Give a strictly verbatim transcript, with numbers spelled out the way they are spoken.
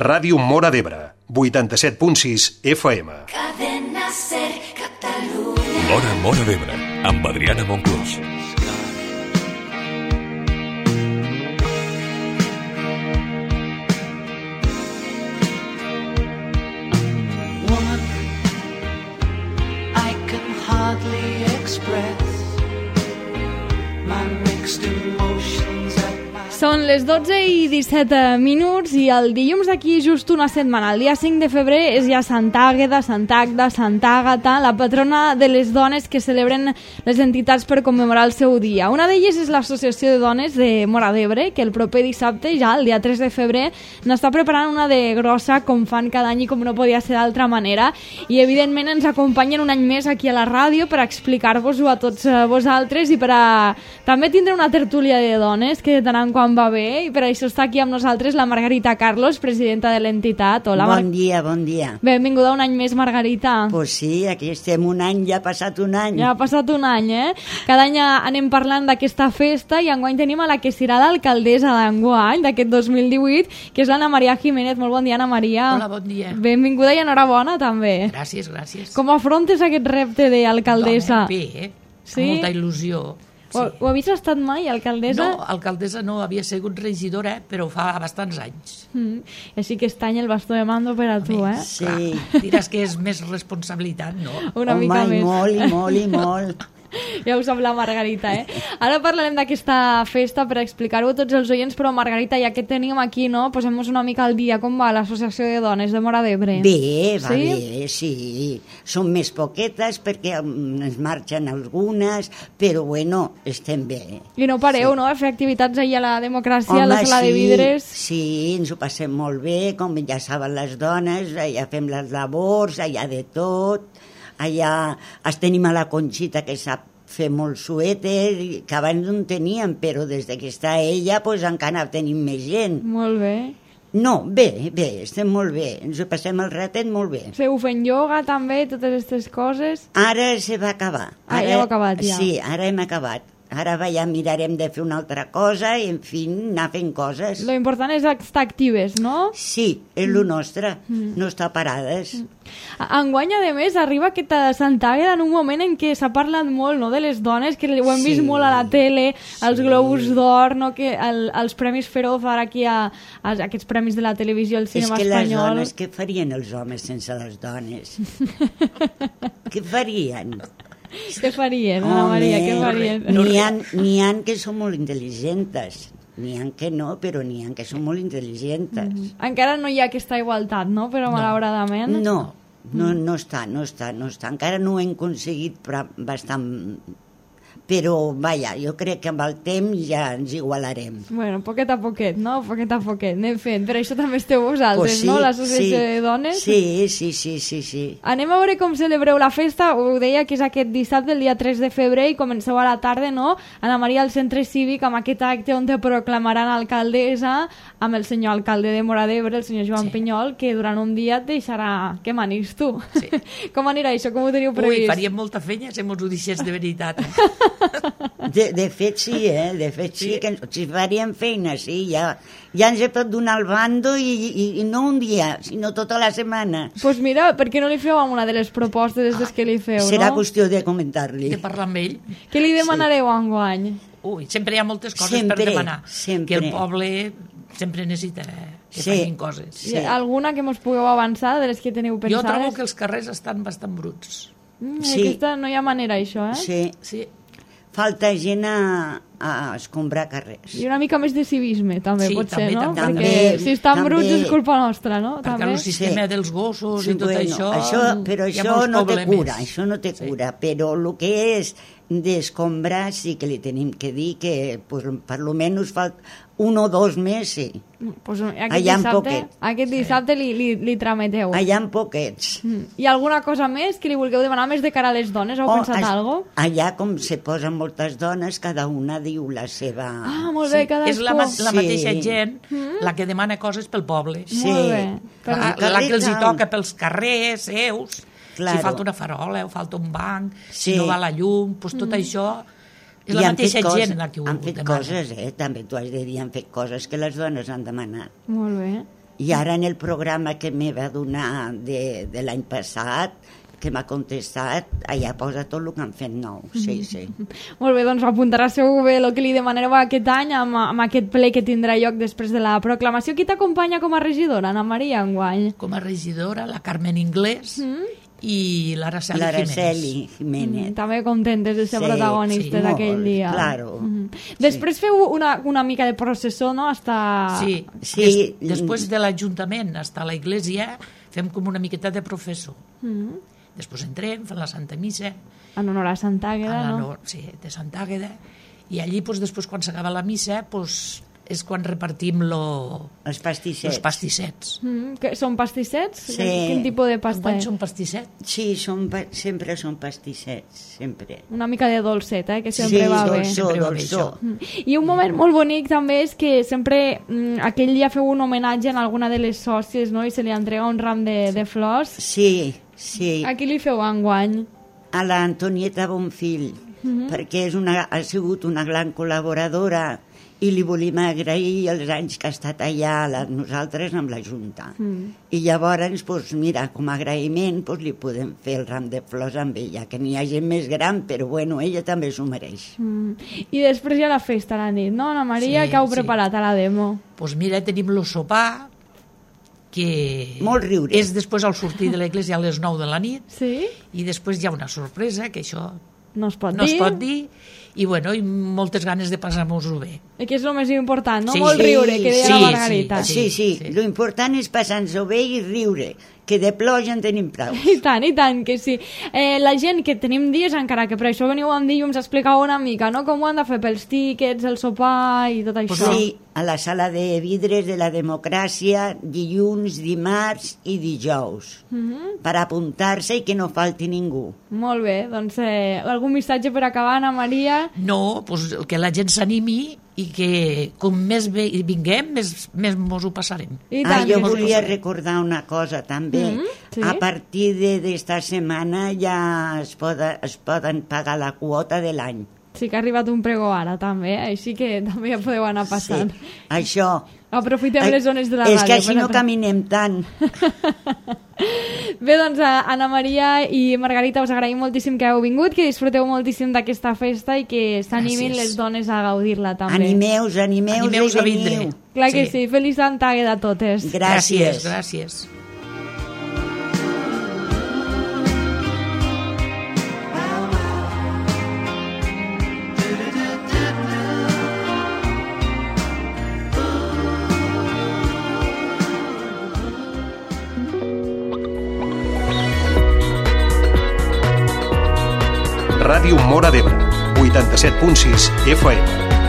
Ràdio Móra d'Ebre, vuitanta-set punt sis F M. Cadena Ser Catalunya. L'Hora Móra d'Ebre, amb Adriana Monclús. Woman, I can hardly express my mixed emotions at my... Són les dotze i disset minuts i el dilluns d'aquí just una setmana, el dia cinc de febrer, és ja Santa Àgueda, Santa Agda, Santa Àgata, la patrona de les dones que celebren les entitats per commemorar el seu dia. Una d'elles és l'Associació de Dones de Móra d'Ebre, que el proper dissabte, ja el dia tres de febrer, n'està preparant una de grossa, com fan cada any i com no podia ser d'altra manera. I evidentment ens acompanyen un any més aquí a la ràdio per explicar-vos-ho a tots vosaltres i per a també tindre una tertúlia de dones que de tant en quant va bé, i per això està aquí amb nosaltres la Margarita Carlos, presidenta de l'entitat. Hola, bon Mar... dia, bon dia. Benvinguda un any més, Margarita. Pues sí, aquí estem un any, ja ha passat un any. Ja ha passat un any, eh? Cada any anem parlant d'aquesta festa i enguany tenim a la que serà l'alcaldessa d'enguany, d'aquest dos mil divuit, que és l'Anna Maria Jiménez. Molt bon dia, Anna Maria. Hola, bon dia. Benvinguda i enhorabona, també. Gràcies, gràcies. Com afrontes aquest repte d'alcaldessa? Bé, eh? Sí? Amb molta il·lusió. Sí. Ho, ho havies estat mai, alcaldessa? No, alcaldessa no, havia sigut regidora, però fa bastants anys. Mm. Així que este any el bastó de mando per a tu, eh? Sí. Clar, diràs que és més responsabilitat, no? Una Home, mica i més. molt, i molt, i molt. Ja ho sap la Margarita, eh? Ara parlarem d'aquesta festa per explicar-ho a tots els oients, però Margarita, ja que tenim aquí, no? Posem-nos una mica al dia. Com va l'Associació de Dones de Móra d'Ebre? Bé, va Sí? bé, sí. Són més poquetes perquè mm, ens marxen algunes, però bueno, estem bé. I no pareu, Sí. no? A fer activitats allà a la democràcia, a Home, la sala sí, de vidres. sí, ens ho passem molt bé, com ja saben les dones, allà fem les labors, allà de tot, allà es tenim a la Conxita que sap fer molt suèter, que abans no en teníem, però des que està ella pues, encara tenim més gent. Molt bé. No, bé, bé, estem molt bé, ens ho passem el ratet molt bé. Feu fent ioga també, totes aquestes coses? Ara se va acabar. Ah, Ara, ja heu acabat, ja. Sí, ara hem acabat. Ara va, ja mirarem de fer una altra cosa i, en fi, anar fent coses. Lo important és estar actives, no? Sí, és el nostre, no estar parades. Enguany, a més, arriba aquesta Santa Àgueda en un moment en què s'ha parlat molt, no?, de les dones, que ho hem Sí. vist molt a la tele, els Globus d'Or, no?, que el, els Premis Feroz, ara aquí a, a aquests premis de la televisió, el És cinema que les espanyol... dones, què farien els homes sense les dones? Què farien? Què farien, Ana Maria, què farien? N'hi ha, n'hi ha que són molt intel·ligents. N'hi ha que no, però n'hi ha que són molt intel·ligents. Encara no hi ha aquesta igualtat, no?, però malauradament... No, no, no està, no està, no està. Encara no ho hem aconseguit però bastant... Però, vaja, jo crec que amb el temps ja ens igualarem. Bueno, poquet a poquet, no? Poquet a poquet, anem fent. Per això també esteu vosaltres, Pues sí, no?, l'Associació sí, de Dones. Sí, sí, sí, sí, sí. Anem a veure com celebreu la festa. Ho deia que és aquest dissabte, el dia tres de febrer, i comenceu a la tarda, no? Anna Maria, al centre cívic, amb aquest acte on te proclamaran alcaldessa, amb el senyor alcalde de Móra d'Ebre, el senyor Joan Sí. Pinyol, que durant un dia et deixarà que manis tu. Sí. Com anirà això? Com ho teniu previst? Ui, faríem molta feina si mos ho deixés de veritat. Eh? De, de fet sí, eh? De fet sí, Sí. que ens, si faríem feina, sí, ja, ja ens he pot donar el bando i, i, i no un dia, sinó tota la setmana. Doncs pues mira, per què no li feu amb una de les propostes des que li feu, Serà no? qüestió de comentar-li. De parlar amb ell. Què li demanareu enguany? Ui, sempre hi ha moltes coses Sempre, per demanar. sempre. Que el poble sempre necessita que Sí. facin coses. Sí. Alguna que mos pugueu avançar de les que teniu Jo pensades? trobo que els carrers estan bastant bruts. Mm, Sí. Aquesta no hi ha manera, això, eh? Sí, Sí. falta gent a, a escombrar carrers. I una mica més de civisme, també, Sí, potser, també, no? també. Perquè També, si estan també. bruts és culpa nostra, no? Perquè També. el sistema Sí. dels gossos Sí, i tot bueno, això... això però hi ha això molts no té problemes. cura, això no té Sí. cura, però el que és d'escombrar sí que li tenim que dir que pues, per lo menos falta un o dos més, sí. Pues, aquest Allà en dissabte, poquet. aquest dissabte li, li, li trameteu. Allà en poquets. Mm. Hi ha alguna cosa més que li vulgueu demanar més de cara a les dones? Heu Oh, pensat as- algo? Allà, com se posen moltes dones, cada una diu la seva... Ah, molt bé, cadascú. És la, ma la Sí. mateixa gent la que demana coses pel poble. Sí. Molt bé. Per La, un la que els hi carrer toca pels carrers, seus, Claro. si falta una farola o falta un banc, Sí. si no va la llum, doncs tot això és la I han fet mateixa coses- gent la que ho Han fet demana. coses, eh? També t'ho has de dir, han fet coses que les dones han demanat. Molt bé. I ara en el programa que me va donar de, de l'any passat, que m'ha contestat, allà posa tot el que han fet nou, sí, sí. Molt bé, doncs apuntarà segur bé el que li demanareu aquest any amb, amb aquest ple que tindrà lloc després de la proclamació. Qui t'acompanya com a regidora, Ana Maria, enguany? Com a regidora, la Carmen Inglés mm. i l'Araceli L'Araceli Jiménez. Jiménez. Mm, també contentes de ser Sí, protagonistes sí, d'aquell molt, dia. claro. Mm. Després feu una, una mica de processó, no?, hasta... Sí, Sí. Des, després de l'Ajuntament fins a la Iglesia fem com una miqueta de professor. Mm. Després entrem, fem la Santa Missa, En honor a Santa Àgueda, a la no? no, sí, de Santa Àgueda, i allí doncs, després quan s'acaba la missa doncs, és quan repartim lo, Els pastissets. els pastissets. Mm, que són pastissets? Sí. Quin tipus de pasta Enguany és? són pastissets. Sí, són, pa- sempre són pastissets, sempre. Una mica de dolcet, eh, que sempre sí, va bé. dolçó, Sempre va bé, dolçó. Mm. I un moment molt bonic també és que sempre mm, aquell dia feu un homenatge a alguna de les sòcies, no?, i se li entrega un ram de, de flors. Sí, sí. A qui li feu enguany? A l'Antonieta Bonfill, Mhm. perquè és una, ha sigut una gran col·laboradora i li volíem agrair els anys que ha estat allà la, nosaltres amb la Junta. Mm. I llavors, pues, mira, com a agraïment pues, li podem fer el ram de flors amb ella, que n'hi ha gent més gran, però bueno, ella també s'ho mereix. Mm. I després hi ha la festa a la nit, no, Ana Maria? Sí, que heu sí. preparat a la demo? Doncs pues mira, tenim el sopar, que Molt riure. és després al sortir de l'església a les nou de la nit, Sí? i després hi ha una sorpresa, que això No es pot no dir? es pot dir, i, bueno, i moltes ganes de passar-nos-ho bé. I que és el més important, no? Sí, Molt sí, riure, que deia sí, la sí, Margarita. Sí, sí, sí. lo important és passar-nos-ho bé i riure, que de plor ja en tenim prou. I tant, i tant, que sí. Eh, la gent que tenim dies, encara que per això veniu amb dilluns a explicar una mica, no?, com ho han de fer pels tíquets, el sopar i tot això. Pues sí, a la sala de vidres de la democràcia, dilluns, dimarts i dijous, Mhm. per apuntar-se i que no falti ningú. Molt bé, doncs eh, algun missatge per acabar, Ana Maria? No, doncs que la gent s'animi i que com més bé vinguem, més, més mos ho passarem. I Ah, tant, jo que volia sí. recordar una cosa també. Mhm, sí. A partir de- d'esta setmana ja es, poda, es poden pagar la quota de l'any. Sí que ha arribat un pregó ara, també, així que també ja podeu anar passant. Sí, això. Aprofitem les zones de la és ràdio. que així per no apre- caminem tant. Bé, doncs, a Ana Maria i Margarita, us agraïm moltíssim que heu vingut, que disfruteu moltíssim d'aquesta festa i que s'animin Gràcies. les dones a gaudir-la, també. Animeus, animeus, Animeus i a vindre. veniu. Clar que Sí. sí. Feliç Santa Àgueda a totes. Gràcies. Gràcies, gràcies. Ràdio Móra d'Ebre, vuitanta-set punt sis F M.